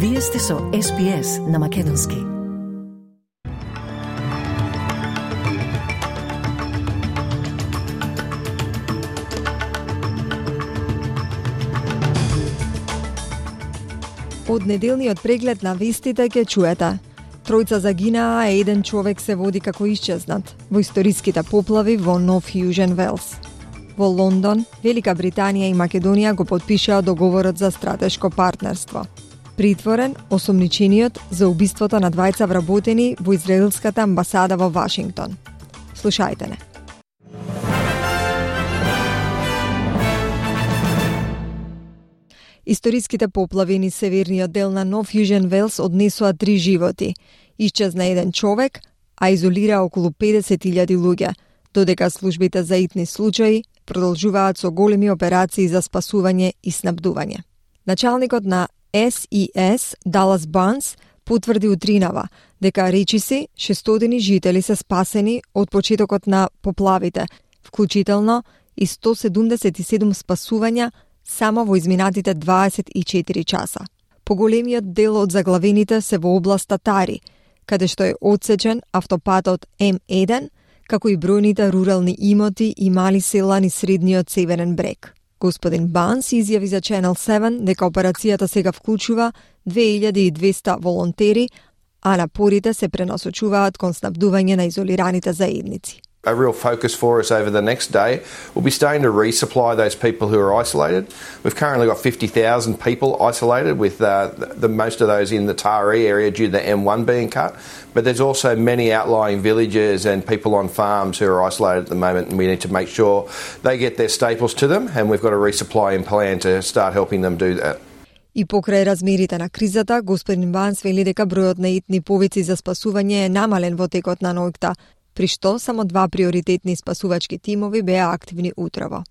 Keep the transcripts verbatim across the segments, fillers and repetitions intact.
Вие сте со Ес Би Ес на Македонски. Од неделниот преглед на вестите ќе чуете. Тројца загинаа, а еден човек се води како исчезнат во историските поплави во Нов Јужен Велс. Во Лондон, Велика Британија и Македонија го потпишаа договорот за стратешко партнерство. Притворен осомничениот за убиството на двајца вработени во израелската амбасада во Вашингтон. Слушајте не. Историските поплави низ северниот дел на Нов Јужен Велс однесоа три животи. Исчезна еден човек, а изолира околу педесет илјади луѓе, додека службите за итни случаи продолжуваат со големи операции за спасување и снабдување. Началникот на Ес И Ес, Далас Барнс, потврди утринава дека речиси шестстотини жители се спасени од почетокот на поплавите, вклучително и сто седумдесет и седум спасувања само во изминатите дваесет и четири часа. Поголемиот дел од заглавените се во областа Тари, каде што е одсечен автопатот Ем еден, како и бројните рурални имоти и мали села низ средниот северен брег. Господин Банс изјави за Ченел седум дека операцијата сега вклучува две илјади и двесте волонтери, а напорите се пренасочуваат кон снабдување на изолираните заедници. A real focus for us over the next day will be starting to resupply those people who are isolated. We've currently got fifty thousand people isolated, with uh, the most of those in the Taree area due to the M one being cut. But there's also many outlying villages and people on farms who are isolated at the moment, and we need to make sure they get their staples to them, and we've got a resupplying plan to start helping them do that. И покрај размерите на кризата, господин Банс вели дека бројот на итни повици за спасување е намален во текот на ноќта, при што само два приоритетни спасувачки тимови беа активни утрово.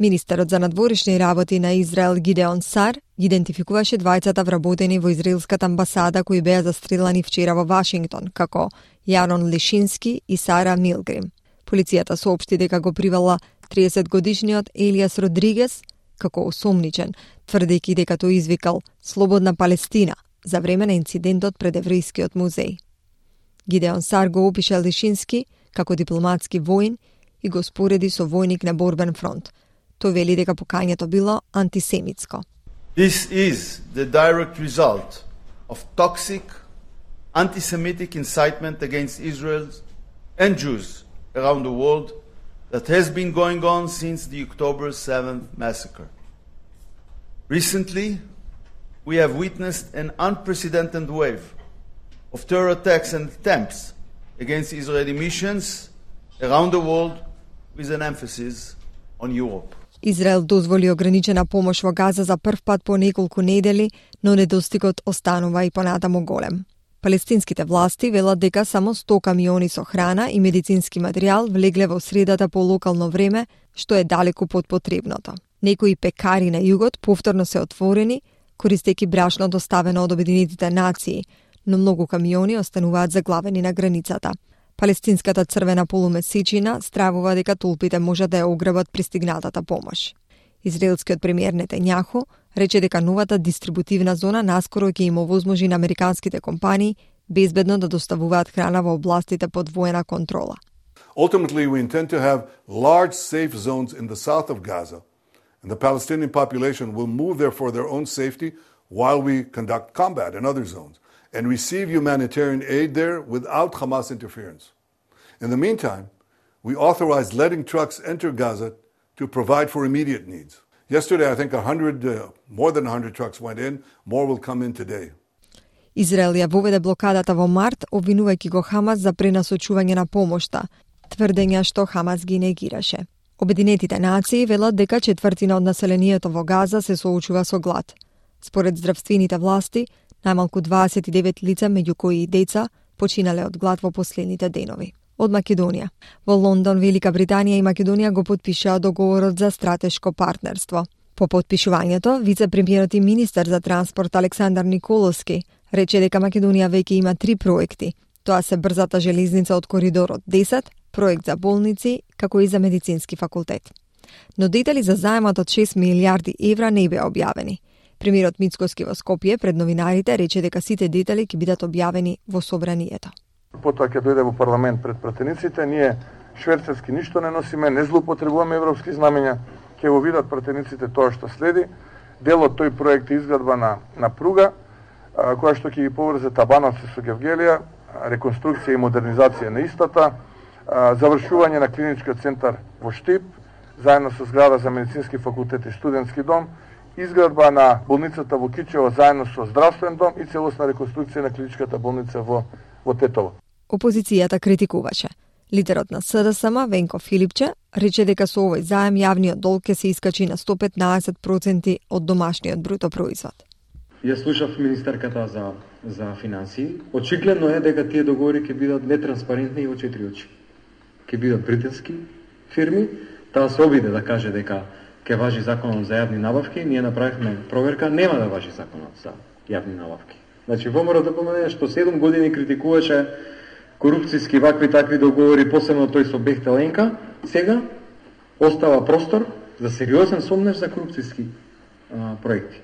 Министерот за надворешни работи на Израел Гидеон Сар идентификуваше двајцата вработени во израелската амбасада кои беа застрелани вчера во Вашингтон, како Јарон Лишински и Сара Милгрим. Полицијата соопшти дека го привела триесетгодишниот Елиас Родригес како осомничен, тврдејќи дека тој извикал "Слободна Палестина" за време на инцидентот пред еврејскиот музеј. Гидеон Сар го опиша Лишински како дипломатски воин и го спореди со војник на борбен фронт. Тој вели дека покањето било антисемитско. This is the direct result of toxic anti-Semitic incitement against Israel and Jews around the world that has been going on since the October seventh massacre. Recently, we have witnessed an unprecedented wave of terror attacks and attempts against Israeli missions around the world, with an emphasis on Europe. Израел дозволи ограничена помош во Газа за прв пат по неколку недели, но недостигот останува и понатаму голем. Палестинските власти велат дека само сто камиони со храна и медицински материјал влегле во средата по локално време, што е далеку под потребното. Некои пекари на југот повторно се отворени, користејќи брашно доставено од Обединетите нации, но многу камиони остануваат заглавени на границата. Палестинската црвена полумесечина стравува дека толпите можат да ја ограбат пристигнатата помош. Израелскиот премиер Нетањаху рече дека новата дистрибутивна зона наскоро ќе им овозможи на американските компании безбедно да доставуваат храна во областите под воена контрола. Ultimately, we intend to have large safe zones in the south of Gaza, and the Palestinian population will move there for their own safety while we conduct combat in other zones and receive humanitarian aid there without Hamas interference. In the meantime, we authorized letting trucks enter Gaza to provide for immediate needs. Yesterday, I think one hundred, uh, more than one hundred trucks went in. More will come in today. Израел ја воведе блокадата во март, обвинувајќи го Хамас за пренасочување на помошта, тврдења што Хамас ги негираше. Обединетите нации велат дека четвртина од населението во Газа се соочува со глад. Според здравствените власти, најмалку дваесет и девет лица, меѓу кои и деца, починале од глад во последните денови. Од Македонија. Во Лондон, Велика Британија и Македонија го потпишаа договорот за стратешко партнерство. По потпишувањето, вице-премиерот и министер за транспорт Александар Николовски рече дека Македонија веќе има три проекти. Тоа се брзата железница од коридорот десет, проект за болници, како и за медицински факултет. Но детали за заемот од шест милијарди евра не беа објавени. Премиерот Мицкоски во Скопје пред новинарите рече дека сите детали ќе бидат објавени во собранието. Потоа ќе дојде во парламент пред пратениците, ние шверцерски ништо не носиме, не злоупотребуваме европски знамења, ќе го видат пратениците тоа што следи. Дел од тој проект е изградба на, на пруга, а, која што ќе ги поврзе Табановци со Гевгелија, реконструкција и модернизација на истата, а, завршување на клиничкиот центар во Штип, заедно со зграда за медицински факултет и студентски дом, изградба на болницата во Кичево заедно со здравствен дом и целосна реконструкција на клиничката болница во, во Тетово. Опозицијата критикуваше. Лидерот на СДСМ, Венко Филипче, рече дека со овој заем јавниот долг ќе се искачи на сто петнаесет проценти од домашниот бруто производ. Ја слушав министерката за, за финансии. Очигледно е дека тие договори ќе бидат нетранспарентни и во четири очи. Ќе бидат британски фирми, таа се обиде да каже дека ќе важи законот за јавни набавки, ние направивме проверка, нема да важи законот за јавни набавки. Значи, ВМРО да помене што седум години критикуваше корупцијски вакви такви договори, посебно тој со Бехтеленка, сега остава простор за сериозен сомнеж за корупцијски а, проекти.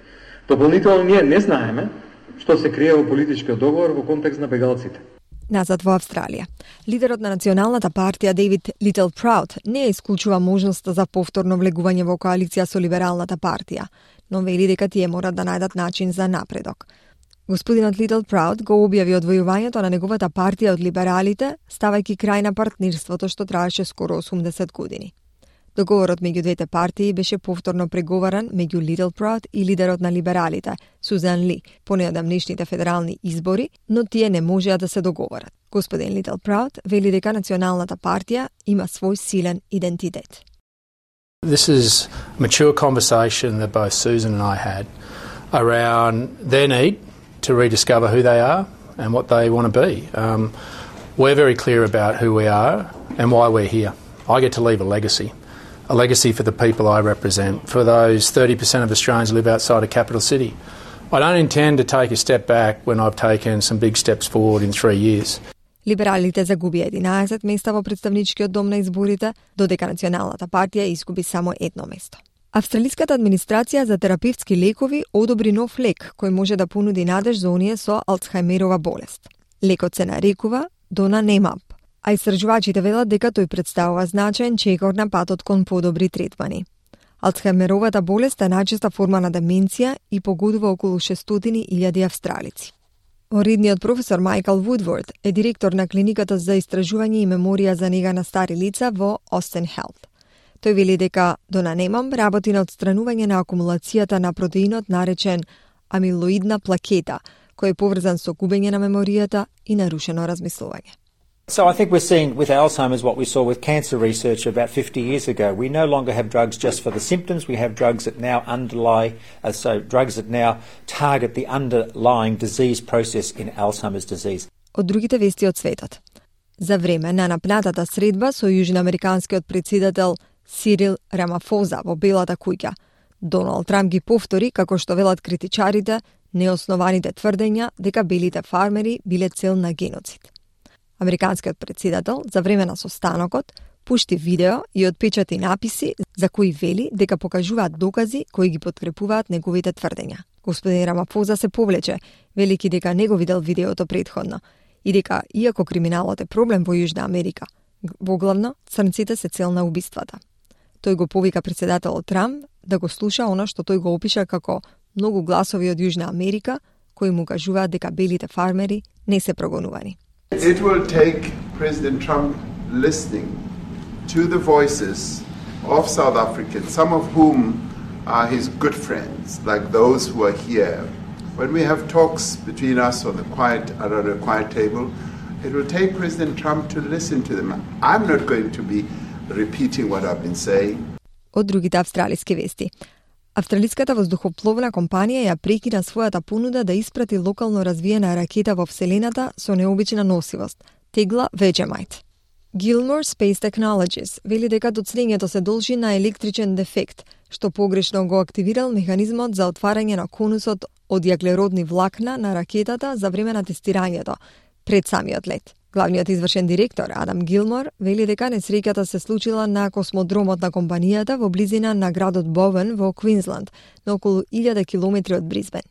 Дополнително ние не знаеме што се крие во политичкиот договор во контекст на бегалците. Назад во Австралија. Лидерот на Националната партија Дейвид Литл Праут не исклучува можноста за повторно влегување во коалиција со Либералната партија, но вели дека тие мора да најдат начин за напредок. Господинот Литл Праут го објави одвојувањето на неговата партија од либералите, ставајќи крај на партнирството што траеше скоро осумдесет години. Договорот меѓу двете партии беше повторно преговаран меѓу Литл Праут и лидерот на либералите, Сузан Ли, по неодамнешните федерални избори, но тие не можеа да се договорат. Господин Литл Праут вели дека Националната партија има свој силен идентитет. This is a mature conversation that both Susan and I had around their need to rediscover who they are and what they want to be. Um, we're very clear about who we are and why we're here. I get to leave a legacy, a legacy for the people I represent, for those thirty percent of Australians who live outside a capital city. I don't intend to take a step back when I've taken some big steps forward in three years. Либералите загуби единаесет места во представничкиот дом на изборите, додека Националната партија изгуби само едно место. Австралиската администрација за терапевтски лекови одобри нов лек кој може да понуди надеж за оние со Алцхаймерова болест. Лекот се нарекува Donanemab, а истражувачите велат дека тој представува значаен чекор на патот кон подобри третмани. Алцхаймеровата болест е најчеста форма на деменција и погодува околу шестстотини илјади австралици. Оредниот професор Майкл Вудворд е директор на клиниката за истражување и меморија за нега на стари лица во Остен Хелт. Тој вели дека Donanemab работи на отстранување на акумулацијата на протеинот наречен амилоидна плакета, кој е поврзан со губење на меморијата и нарушено размислување. So I think we're seeing with Alzheimer's what we saw with cancer research about fifty years ago. We no longer have drugs just for the symptoms. We have drugs that now underlie, uh, so drugs that now target the underlying disease process in Alzheimer's disease. Од другите вести од светот. За време на напнатата средба со јужноамериканскиот претседател Сирил Рамафоза во Белата куќа, Доналд Трамп ги повтори, како што велат критичарите, неоснованите тврдења дека белите фармери биле цел на геноцид. Американскиот претседател за време на состанокот пушти видео и отпечати написи за кои вели дека покажуваат докази кои ги подкрепуваат неговите тврдења. Господин Рамафоза се повлече, велики дека не го видел видеото претходно и дека, иако криминалот е проблем во Јужна Америка, воглавно црнците се цел на убиствата. Тој го повика претседателот Трамп да го слуша она што тој го опиша како многу гласови од Јужна Америка кои му кажуваат дека белите фармери не се прогонувани. It will take President Trump listening to the voices of South Africans, some of whom are his good friends, like those who are here. When we have talks between us on the quiet, around a quiet table, it will take President Trump to listen to them. I'm not going to be repeating what I've been saying. Од другите австралиски вести. Австралиската воздухопловна компанија ја прекина својата понуда да испрати локално развиена ракета во Вселената со необична носивост – тегла Vegemite. Gilmore Space Technologies вели дека доцнењето се должи на електричен дефект, што погрешно го активирал механизмот за отварање на конусот од јаглеродни влакна на ракетата за време на тестирањето, пред самиот лет. Главниот извршен директор Адам Гилмор вели дека несреќата се случила на космодромот на компанијата во близина на градот Бовен во Квинсланд, на околу илјада километри од Брисбен.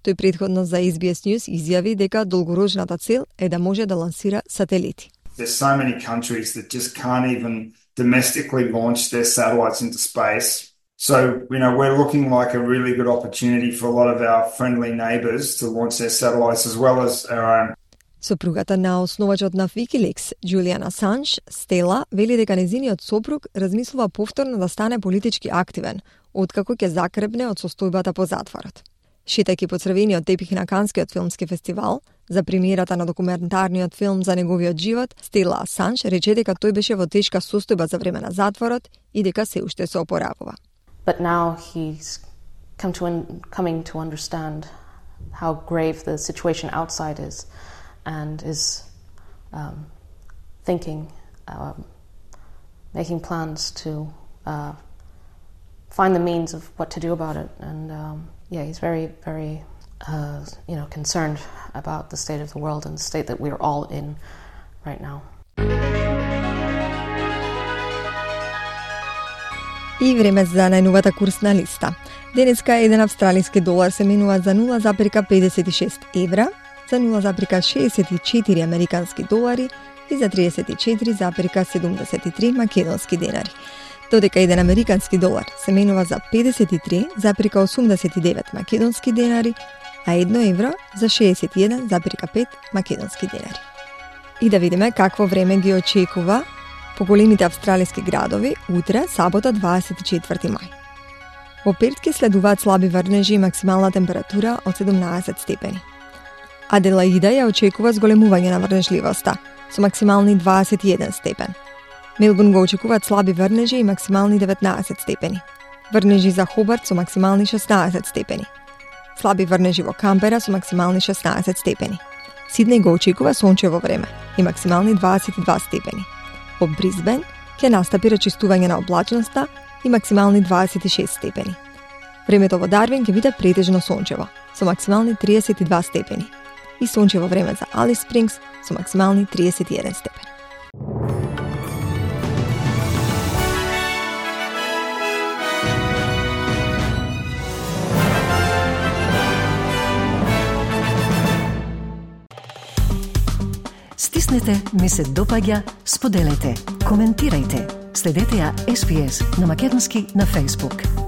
Тој претходно за Ес Би Ес News изјави дека долгорочната цел е да може да лансира сателити. There's so many countries that just can't even domestically launch their satellites into space. So, you know, we're looking like a really good opportunity for a lot of our friendly neighbours to launch their satellites as well as our own. Сопругата на основачот на Wikileaks, Julian Assange, Стела, вели дека незиниот сопруг размислува повторно да стане политички активен, откако ќе закрепне од состојбата по затворот. Шетајќи по црвениот тепих на Канскиот филмски фестивал, за премиерата на документарниот филм за неговиот живот, Стела Асанж рече дека тој беше во тешка состојба за време на затворот и дека се уште се опоравува. But now he's come to un- coming to understand how grave the situation outside is and is um, thinking, um, making plans to uh, find the means of what to do about it. And um, yeah, he's very, very, uh, you know, concerned about the state of the world and the state that we're all in right now. И време за најновата курсна листа. Денеска еден австралиски долар се менува за нула запирка педесет и шест евра, за нула запирка шеесет и четири американски долари и за триесет и четири запирка седумдесет и три македонски денари. Додека еден американски долар се менува за педесет и три запирка осумдесет и девет македонски денари, а едно евро за шеесет и еден запирка пет македонски денари. И да видиме какво време ги очекува по големите австралиски градови утре, сабота, дваесет и четврти мај. Во Перт ке следуваат слаби врнежи и максимална температура од седумнаесет степени. Аделаида ја очекува зголемување на врнежливоста, со максимални дваесет и еден степен. Мелбурн го очекуваат слаби врнежи и максимални деветнаесет степени. Врнежи за Хобарт со максимални шеснаесет степени. Слаби врнежи во Камбера со максимални шеснаесет степени. Сиднеј го очекува сончево време и максимални дваесет и два степени. Во Брисбен ќе настапи рачистување на облачноста и максимални дваесет и шест степени. Времето во Дарвин ќе биде претежно сончево, со максимални триесет и два степени. И сончево време за Алис Спрингс со максимални триесет и еден степен. Стиснете, ми се допаѓа, споделете, коментирајте. Следете ја Ес Би Ес на македонски на Facebook.